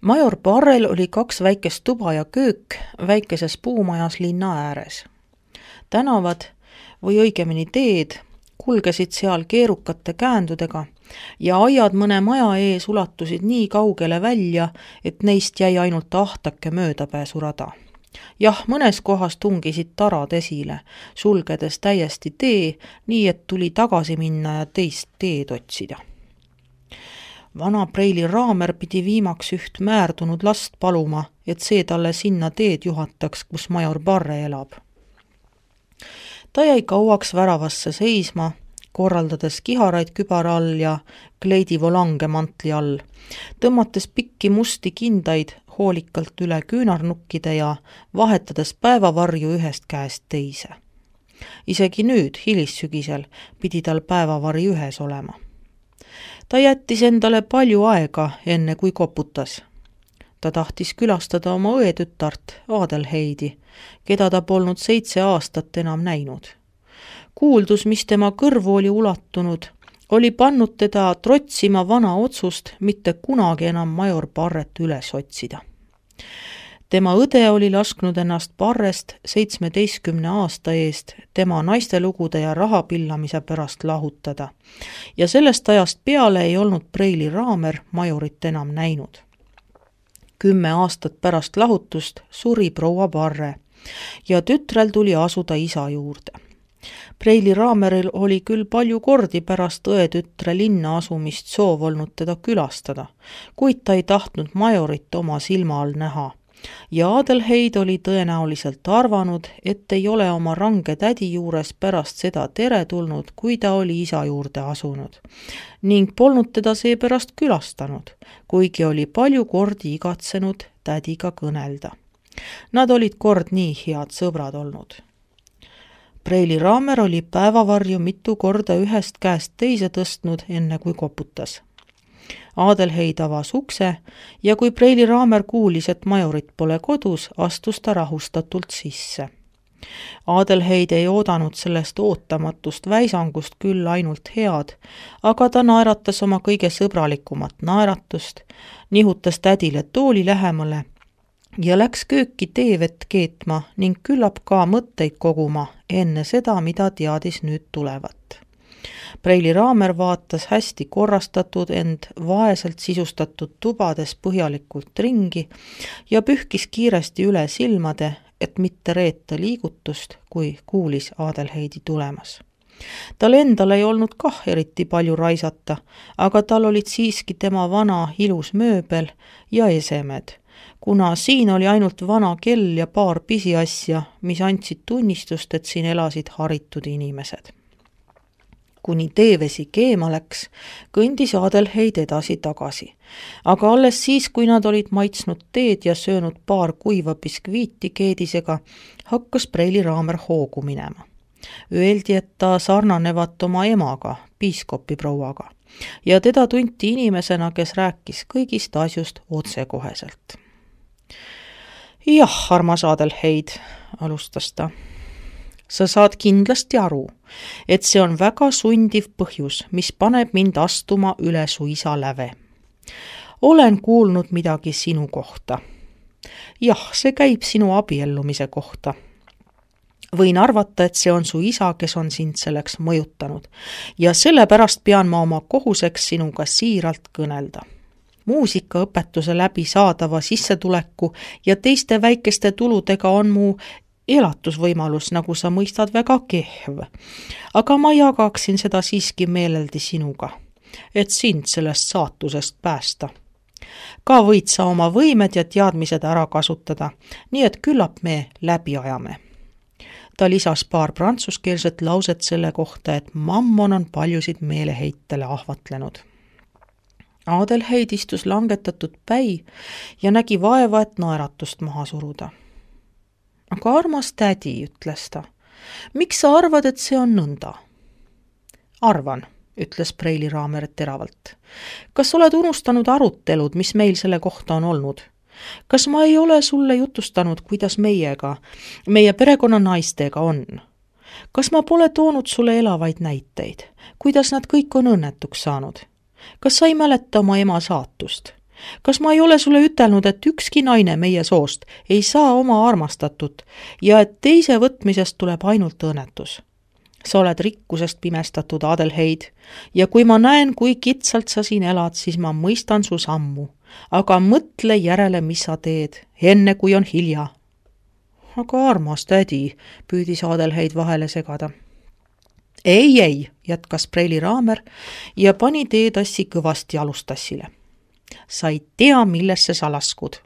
Major Parrel oli 2 väikest tuba ja köök väikeses puumajas linna ääres. Tänavad või õigemini teed kulgesid seal keerukate käändudega ja aiad mõne maja ees ulatusid nii kaugele välja, et neist jäi ainult ahtake möödapääsurada. Jah, mõnes kohas tungisid tarad esile, sulgedes täiesti tee, nii et tuli tagasi minna ja teist teed otsida. Vana Preili Raamer pidi viimaks üht määrdunud last paluma, et see talle sinna teed juhataks, kus major Parre elab. Ta jäi kauaks väravasse seisma, korraldades kiharaid kübara all ja kleidi volange mantli all, tõmmates pikki musti kindaid hoolikalt üle küünarnukkide ja vahetades päevavarju ühest käest teise. Isegi nüüd, hilissügisel, pidi tal päevavari ühes olema. Ta jättis endale palju aega, enne kui koputas. Ta tahtis külastada oma õetütart, Adelheidi, keda ta polnud 7 aastat enam näinud. Kuuldus, mis tema kõrvu oli ulatunud, oli pannud teda trotsima vana otsust mitte kunagi enam major Parret üles otsida. Tema õde oli lasknud ennast Parrest 17 aasta eest tema naistelugude ja rahapillamise pärast lahutada ja sellest ajast peale ei olnud Preili Raamer majorit enam näinud. 10 aastat pärast lahutust suri proua Parre ja tütrel tuli asuda isa juurde. Preili Raameril oli küll palju kordi pärast õetütre linna asumist soov olnud teda külastada, kuid ta ei tahtnud majorit oma silma all näha. Ja Adelheid oli tõenäoliselt arvanud, et ei ole oma range tädi juures pärast seda teretulnud, kui ta oli isa juurde asunud, ning polnud teda seepärast külastanud, kuigi oli palju kordi igatsenud tädiga kõnelda. Nad olid kord nii head sõbrad olnud. Preili Raamer oli päevavarju mitu korda ühest käest teise tõstnud, enne kui koputas. Adelheid avas ukse ja kui Preili Raamer kuulis, et majorit pole kodus, astus ta rahustatult sisse. Adelheid ei oodanud sellest ootamatust väisangust küll ainult head, aga ta naeratas oma kõige sõbralikumat naeratust, nihutas tädile tooli lähemale ja läks kööki teevett keetma ning küllap ka mõtteid koguma enne seda, mida teadis nüüd tulevat. Preili Raamer vaatas hästi korrastatud, ent vaeselt sisustatud tubades põhjalikult ringi ja pühkis kiiresti üle silmade, et mitte reeta liigutust, kui kuulis Adelheidi tulemas. Tal endal ei olnud kah eriti palju raisata, aga tal olid siiski tema vana ilus mööbel ja esemed, kuna siin oli ainult vana kell ja paar pisiasja, mis andsid tunnistust, et siin elasid haritud inimesed. Kuni teevesi keema läks, kõndis Adelheid edasi-tagasi. Aga alles siis, kui nad olid maitsnud teed ja söönud paar kuiva biskviiti keedisega, hakkas Preili Raamer hoogu minema. Öeldi, et ta sarnanevat oma emaga, piiskopi prouaga, ja teda tunti inimesena, kes rääkis kõigist asjust otsekoheselt. Jah, armas Adelheid, alustas ta. Sa saad kindlasti aru, et see on väga sundiv põhjus, mis paneb mind astuma üle su isa läve. Olen kuulnud midagi sinu kohta. Jah, see käib sinu abiellumise kohta. Võin arvata, et see on su isa, kes on sind selleks mõjutanud ja sellepärast pean ma oma kohuseks sinuga siiralt kõnelda. Muusikaõpetuse läbi saadava sissetuleku ja teiste väikeste tuludega on mu elatusvõimalus, nagu sa mõistad, väga kehv. Aga ma jagaksin seda siiski meeleldi sinuga, et sind sellest saatusest päästa. Ka võid sa oma võimed ja teadmised ära kasutada, nii et küllap me läbi ajame. Ta lisas paar prantsuskeelset lauset selle kohta, et mammon on paljusid meeleheitele ahvatlenud. Adelheid istus langetatud päi ja nägi vaeva, et naeratust maha suruda. Aga armas tädi, ütles ta, miks sa arvad, et see on nõnda? Arvan, ütles Preili Raamer teravalt. Kas oled unustanud arutelud, mis meil selle kohta on olnud? Kas ma ei ole sulle jutustanud, kuidas meiega, meie perekonna naistega on? Kas ma pole toonud sulle elavaid näiteid, kuidas nad kõik on õnnetuks saanud? Kas sa ei mäleta oma ema saatust? Kas ma ei ole sulle ütelnud, et ükski naine meie soost ei saa oma armastatut ja et teise võtmisest tuleb ainult õnnetus? Sa oled rikkusest pimestatud, Adelheid, ja kui ma näen, kui kitsalt sa siin elad, siis ma mõistan su sammu. Aga mõtle järele, mis sa teed, enne kui on hilja. Aga armas tädi, püüdis Adelheid vahele segada. Ei, jätkas Preili Raamer ja pani teetassi kõvasti alustassile. Sa ei tea, millesse sa laskud.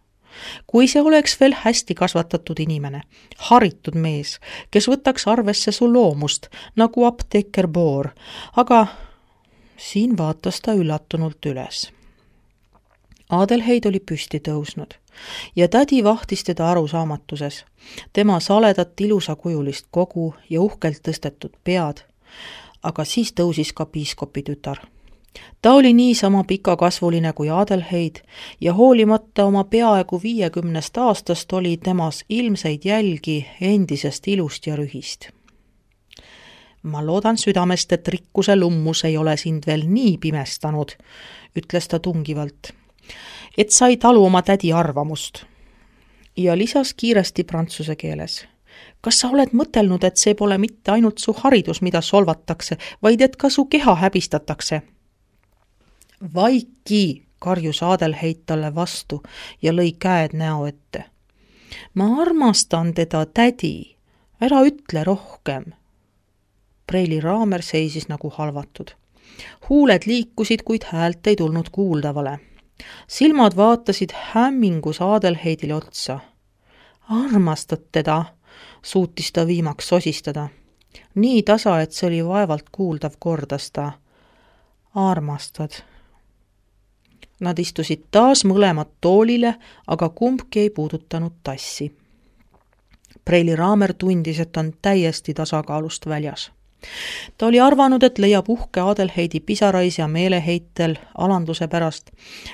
Kui see oleks veel hästi kasvatatud inimene, haritud mees, kes võtaks arvesse su loomust, nagu apteeker Boor, aga siin vaatas ta üllatunult üles. Adelheid oli püsti tõusnud ja tädi vahtis teda arusaamatuses, tema saledat ilusakujulist kogu ja uhkelt tõstetud pead, aga siis tõusis ka piiskopi tütar. Ta oli niisama pikakasvuline kui Adelheid ja hoolimata oma peaaegu 50 aastast oli temas ilmseid jälgi endisest ilust ja rühist. Ma loodan südamest, et rikkuse lummus ei ole sind veel nii pimestanud, ütles ta tungivalt, et sa ei talu oma tädi arvamust. Ja lisas kiiresti prantsuse keeles. Kas sa oled mõtelnud, et see pole mitte ainult su haridus, mida solvatakse, vaid et ka su keha häbistatakse? Vaiki, karjus Adelheid talle vastu ja lõi käed näo ette. Ma armastan teda, tädi, ära ütle rohkem. Preili Raamer seisis nagu halvatud. Huuled liikusid, kuid häält ei tulnud kuuldavale. Silmad vaatasid hämmingus Adelheidile otsa. Armastad teda, suutis ta viimaks sosistada. Nii tasa, et see oli vaevalt kuuldav, kordas ta. Armastad. Nad istusid taas mõlemad toolile, aga kumbki ei puudutanud tassi. Preili Raamer tundis, et on täiesti tasakaalust väljas. Ta oli arvanud, et leiab uhke Adelheidi pisarais ja meeleheitel alanduse pärast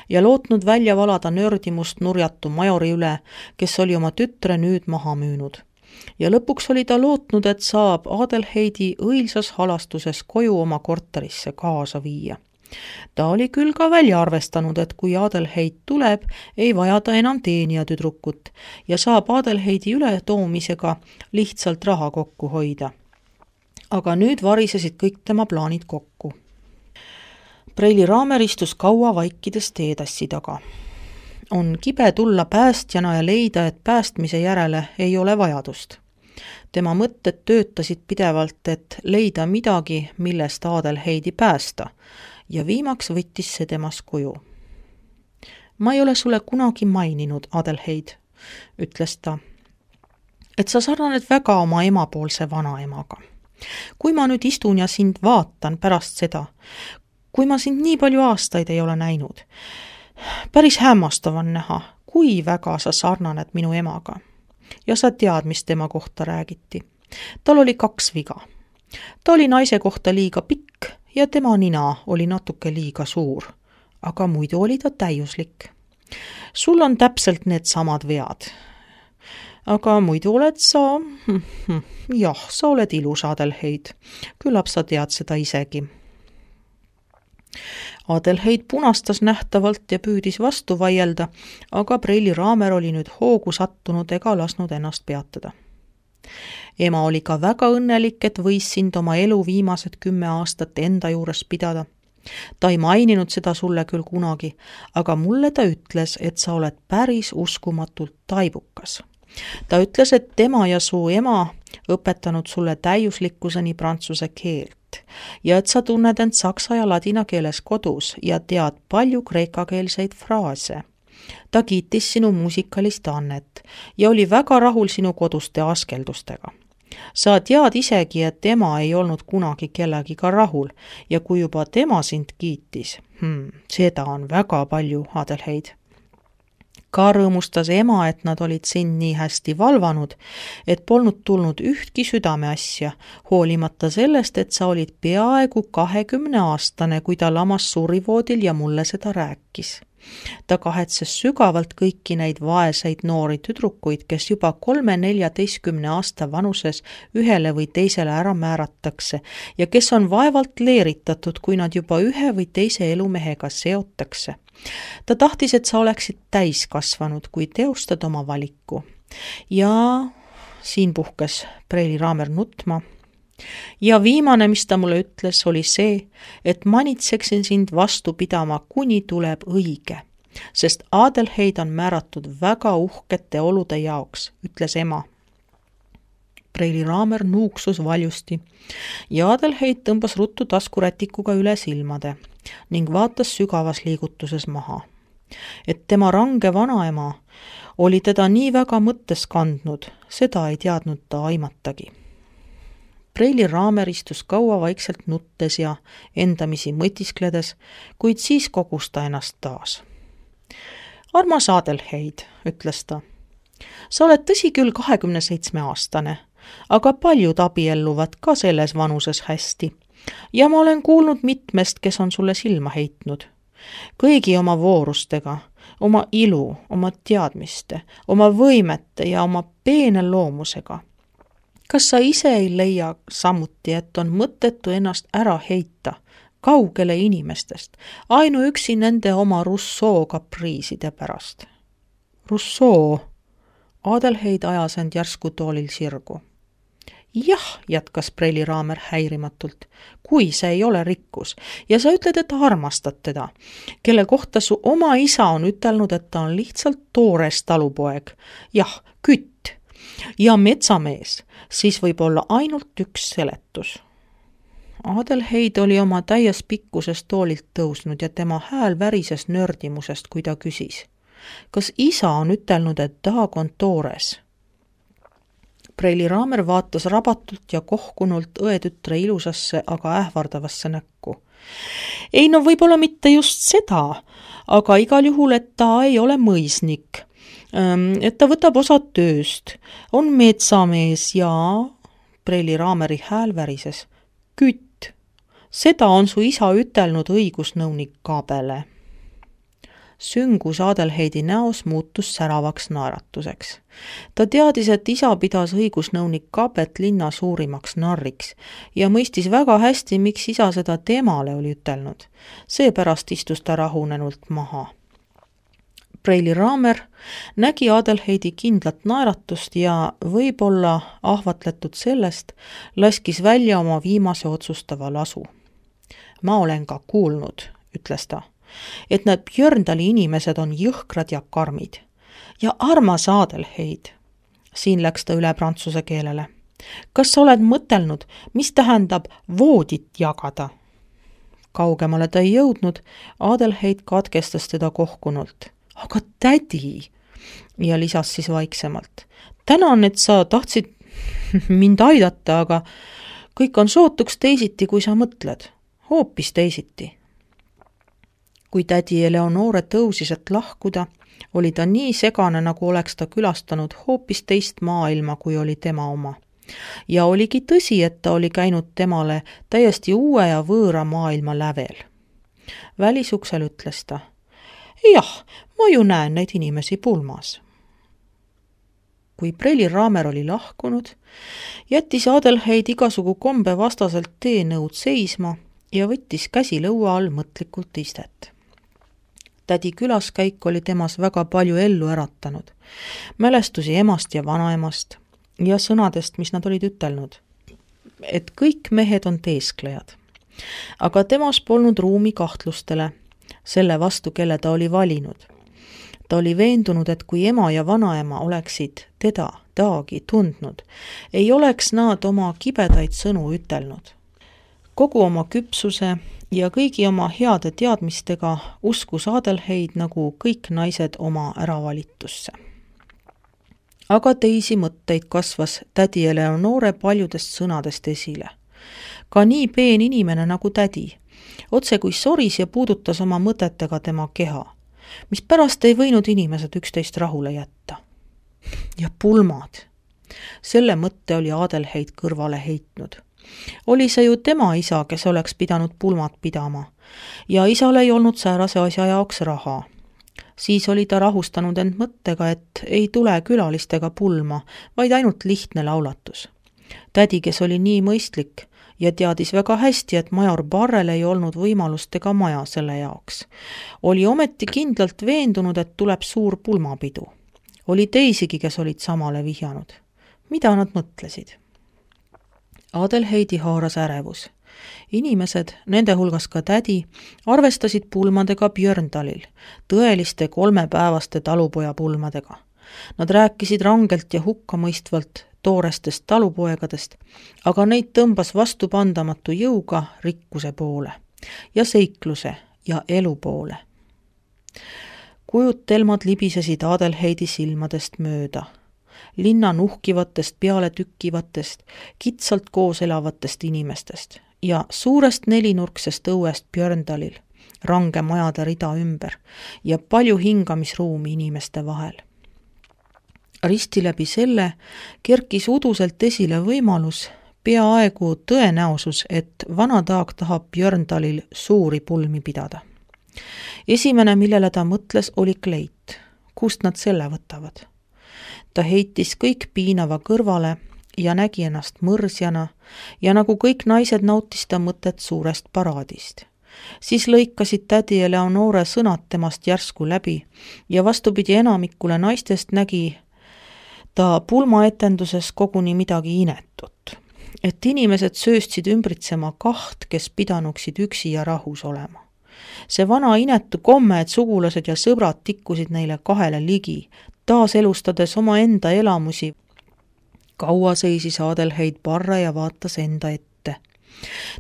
ja lootnud välja valada nördimust nurjatu majori üle, kes oli oma tütre nüüd maha müünud. Ja lõpuks oli ta lootnud, et saab Adelheidi õilsas halastuses koju oma korterisse kaasa viia. Ta oli küll ka välja arvestanud, et kui Adelheid tuleb, ei vaja ta enam teenija tüdrukut ja saab Adelheidi ületoomisega lihtsalt raha kokku hoida. Aga nüüd varisesid kõik tema plaanid kokku. Preili Raamer istus kaua vaikides teetassi taga. On kibe tulla päästjana ja leida, et päästmise järele ei ole vajadust. Tema mõtted töötasid pidevalt, et leida midagi, millest Adelheidi päästa, ja viimaks võttis see temas kuju. Ma ei ole sulle kunagi maininud, Adelheid, ütles ta, et sa sarnaned väga oma emapoolse vanaemaga. Kui ma nüüd istun ja sind vaatan pärast seda, kui ma sind nii palju aastaid ei ole näinud, päris hämmastav on näha, kui väga sa sarnaned minu emaga. Ja sa tead, mis tema kohta räägiti. Tal oli 2 viga. Ta oli naise kohta liiga pikk ja tema nina oli natuke liiga suur, aga muidu oli ta täiuslik. Sul on täpselt need samad vead. Aga muidu oled sa, jah, sa oled ilus, Adelheid. Küllap sa tead seda isegi. Adelheid punastas nähtavalt ja püüdis vastu vaielda, aga Preili Raamer oli nüüd hoogu sattunud ega lasnud ennast peatada. Ema oli ka väga õnnelik, et võis sind oma elu viimased 10 aastat enda juures pidada. Ta ei maininud seda sulle küll kunagi, aga mulle ta ütles, et sa oled päris uskumatult taibukas. Ta ütles, et tema ja su ema õpetanud sulle täiuslikkuseni prantsuse keelt ja et sa tunned end saksa ja ladina keeles kodus ja tead palju kreekakeelseid fraase. Ta kiitis sinu muusikalist annet ja oli väga rahul sinu koduste askeldustega. Sa tead isegi, et ema ei olnud kunagi kellegiga rahul ja kui juba tema sind kiitis, seda on väga palju, Adelheid. Ka rõõmustas ema, et nad olid sind nii hästi valvanud, et polnud tulnud ühtki südameasja, hoolimata sellest, et sa olid peaaegu 20-aastane, kui ta lamas surivoodil ja mulle seda rääkis. Ta kahetses sügavalt kõiki neid vaeseid noori tüdrukuid, kes juba 3–14 aasta vanuses ühele või teisele ära määratakse ja kes on vaevalt leeritatud, kui nad juba ühe või teise elumehega seotakse. Ta tahtis, et sa oleksid täiskasvanud, kui teostad oma valiku. Ja siin puhkes Preili Raamer nutma. Ja viimane, mis ta mulle ütles, oli see, et manitseksin sind vastu pidama, kuni tuleb õige, sest Adelheid on määratud väga uhkete olude jaoks, ütles ema. Preili Raamer nuuksus valjusti ja Adelheid tõmbas ruttu taskurätikuga üle silmade ning vaatas sügavas liigutuses maha. Et tema range vanaema oli teda nii väga mõttes kandnud, seda ei teadnud ta aimatagi. Preili Raamer istus kaua vaikselt nuttes ja endamisi mõtiskledes, kuid siis kogus ta ennast taas. Armas Adelheid, ütles ta, sa oled tõsi küll 27-aastane, aga paljud abielluvad ka selles vanuses hästi ja ma olen kuulnud mitmest, kes on sulle silma heitnud. Kõigi oma voorustega, oma ilu, oma teadmiste, oma võimete ja oma peene loomusega. Kas sa ise ei leia samuti, et on mõttetu ennast ära heita kaugele inimestest, ainuüksi nende oma Rousseau kapriiside pärast? Rousseau, Adelheid ajas end järsku toolil sirgu. Jah, jätkas Preili Raamer häirimatult, kui see ei ole rikkus ja sa ütled, et armastad teda, kelle kohta su oma isa on ütelnud, et ta on lihtsalt toores talupoeg, jah, kütt ja metsamees, siis võib olla ainult üks seletus. Adelheid oli oma täies pikkuses toolilt tõusnud ja tema hääl värises nördimusest, kui ta küsis. Kas isa on ütelnud, et Dag on toores? Preili Raamer vaatas rabatult ja kohkunult õetütre ilusasse, aga ähvardavasse näkku. Ei no võib-olla mitte just seda, aga igal juhul, et ta ei ole mõisnik, et ta võtab osa tööst, on metsamees ja Preili Raameri hääl värises. Kütt, seda on su isa ütelnud õigusnõunik Kabele. Süngus Adelheidi näos muutus säravaks naeratuseks. Ta teadis, et isa pidas õigusnõunik Kabet linna suurimaks narriks ja mõistis väga hästi, miks isa seda temale oli ütelnud. Seepärast istus ta rahunenult maha. Preili Raamer nägi Adelheidi kindlat naeratust ja võib-olla ahvatletud sellest, laskis välja oma viimase otsustava lasu. Ma olen ka kuulnud, ütles ta, et need Björndali inimesed on jõhkrad ja karmid. Ja armas Adelheid, siin läks ta üle prantsuse keelele. Kas sa oled mõtelnud, mis tähendab voodit jagada? Kaugemale ta ei jõudnud, Adelheid katkestas teda kohkunult. Aga tädi, ja lisas siis vaiksemalt. Tänan, et sa tahtsid mind aidata, aga kõik on sootuks teisiti, kui sa mõtled. Hoopis teisiti. Kui tädi Eleonore tõusis, et lahkuda, oli ta nii segane, nagu oleks ta külastanud hoopis teist maailma, kui oli tema oma. Ja oligi tõsi, et ta oli käinud temale täiesti uue ja võõra maailma lävel. Välisuksel ütles ta. Jah, ma ju näen neid inimesi pulmas. Kui Preili Raamer oli lahkunud, jättis Adelheid igasugu kombe vastaselt teenõud seisma ja võttis käsi lõua all mõtlikult istet. Tädi külaskäik oli temas väga palju ellu äratanud, mälestusi emast ja vanaemast ja sõnadest, mis nad olid ütelnud, et kõik mehed on teesklejad. Aga temas polnud ruumi kahtlustele, selle vastu, kelle ta oli valinud. Ta oli veendunud, et kui ema ja vanaema oleksid teda, Dagi, tundnud, ei oleks nad oma kibedaid sõnu ütelnud. Kogu oma küpsuse ja kõigi oma heade teadmistega uskus Adelheid nagu kõik naised oma äravalitusse. Aga teisi mõtteid kasvas tädi Eleonore paljudest sõnadest esile. Ka nii peen inimene nagu tädi, otse kui soris ja puudutas oma mõtetega tema keha, mis pärast ei võinud inimesed üksteist rahule jätta. Ja pulmad. Selle mõtte oli Adelheid kõrvale heitnud. Oli see ju tema isa, kes oleks pidanud pulmad pidama, ja isal ei olnud säärase asja jaoks raha. Siis oli ta rahustanud end mõttega, et ei tule külalistega pulma, vaid ainult lihtne laulatus. Tädi, kes oli nii mõistlik ja teadis väga hästi, et major Barrel ei olnud võimalust ega maja selle jaoks, oli ometi kindlalt veendunud, et tuleb suur pulmapidu. Oli teisigi, kes olid samale vihjanud. Mida nad mõtlesid? Adelheidi haaras ärevus. Inimesed, nende hulgas ka tädi, arvestasid pulmadega Björndalil, tõeliste 3-päevaste talupoja pulmadega. Nad rääkisid rangelt ja hukkamõistvalt toorestest talupoegadest, aga neid tõmbas vastupandamatu jõuga rikkuse poole ja seikluse ja elu poole. Kujutelmad libisesid Adelheidi silmadest mööda. Linna nuhkivatest, peale tükkivatest, kitsalt koos elavatest inimestest ja suurest 4-nurksest õuest Björndalil, range majade rida ümber ja palju hingamisruumi inimeste vahel. Risti läbi selle kerkis uduselt esile võimalus, peaaegu tõenäosus, et Vanataag tahab Björndalil suuri pulmi pidada. Esimene, millele ta mõtles, oli kleit. Kust nad selle võtavad? Ta heitis kõik piinava kõrvale ja nägi ennast mõrsjana ja nagu kõik naised nautis ta mõtet suurest paraadist. Siis lõikasid tädi ja Leonore sõnad temast järsku läbi ja vastupidi enamikule naistest nägi ta pulmaetenduses koguni midagi inetut. Et inimesed sööstsid ümbritsema kaht, kes pidanuksid üksi ja rahus olema. See vana inetu komme, et sugulased ja sõbrad tikkusid neile kahele ligi, taas elustades oma enda elamusi. Kaua seisis Adelheid Barre ja vaatas enda ette.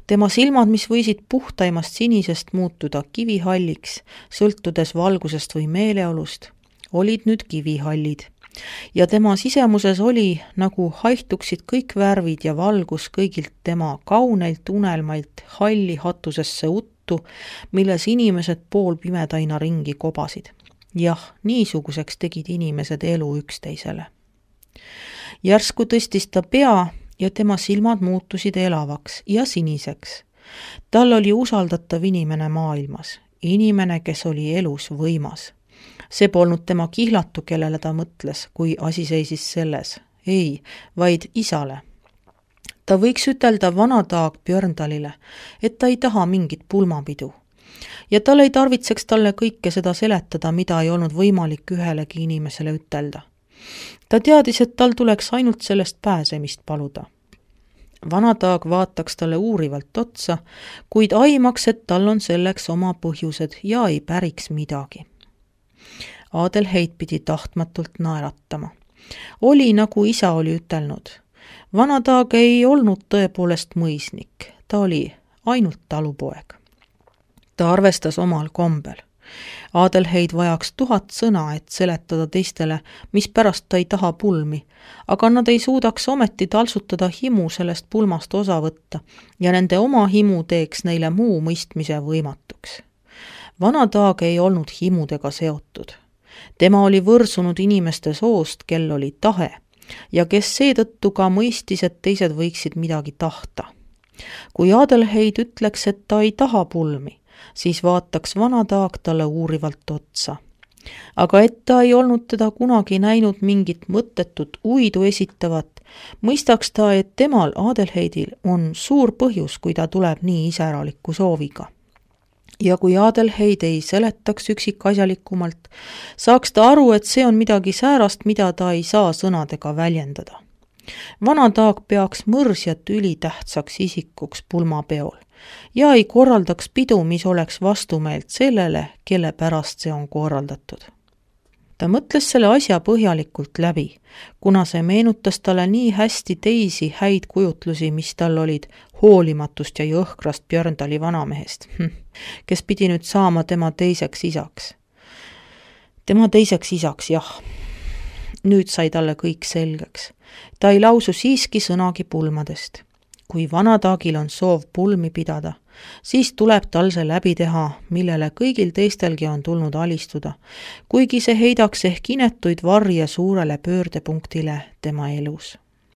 Tema silmad, mis võisid puhtaimast sinisest muutuda kivihalliks, sõltudes valgusest või meeleolust, olid nüüd kivihallid. Ja tema sisemuses oli, nagu haihtuksid kõik värvid ja valgus kõigilt tema kauneilt unelmailt halli hatusesse uttu, milles inimesed poolpimedaina ringi kobasid. Jah, niisuguseks tegid inimesed elu üksteisele. Järsku tõstis ta pea ja tema silmad muutusid elavaks ja siniseks. Tal oli usaldatav inimene maailmas, inimene, kes oli elus võimas. See polnud tema kihlatu, kellele ta mõtles, kui asi seisis selles. Ei, vaid isale. Ta võiks ütelda Vanataag Björndalile, et ta ei taha mingit pulmapidu. Ja tal ei tarvitseks talle kõike seda seletada, mida ei olnud võimalik ühelegi inimesele ütelda. Ta teadis, et tal tuleks ainult sellest pääsemist paluda. Vanataag vaataks talle uurivalt otsa, kuid aimaks, et tal on selleks oma põhjused ja ei päriks midagi. Adelheid pidi tahtmatult naeratama. Oli, nagu isa oli ütelnud. Vanataag ei olnud tõepoolest mõisnik, ta oli ainult talupoeg. Ta arvestas omal kombel. Adelheid vajaks 1000 sõna, et seletada teistele, mis pärast ta ei taha pulmi, aga nad ei suudaks ometi talsutada himu sellest pulmast osa võtta ja nende oma himu teeks neile muu mõistmise võimatuks. Vanataag ei olnud himudega seotud. Tema oli võrsunud inimeste soost, kel oli tahe ja kes seetõttu ka mõistis, et teised võiksid midagi tahta. Kui Adelheid ütleks, et ta ei taha pulmi, siis vaataks Vanataag talle uurivalt otsa. Aga et ta ei olnud teda kunagi näinud mingit mõttetut uidu esitavat, mõistaks ta, et temal Adelheidil on suur põhjus, kui ta tuleb nii iseraliku sooviga. Ja kui Adelheid ei seletaks üksikasjalikumalt, saaks ta aru, et see on midagi säärast, mida ta ei saa sõnadega väljendada. Vanataag peaks mõrsjat ülitähtsaks isikuks pulmapeol ja ei korraldaks pidu, mis oleks vastumeelt sellele, kelle pärast see on korraldatud. Ta mõtles selle asja põhjalikult läbi, kuna see meenutas talle nii hästi teisi häid kujutlusi, mis tal olid hoolimatust ja jõhkrast Björndali vanamehest, kes pidi nüüd saama tema teiseks isaks. Tema teiseks isaks, jah. Nüüd sai talle kõik selgeks. Ta ei lausu siiski sõnagi pulmadest. Kui Vanataagil on soov pulmi pidada, siis tuleb tal see läbi teha, millele kõigil teistelgi on tulnud alistuda, kuigi see heidaks ehk inetuid varje suurele pöördepunktile tema elus.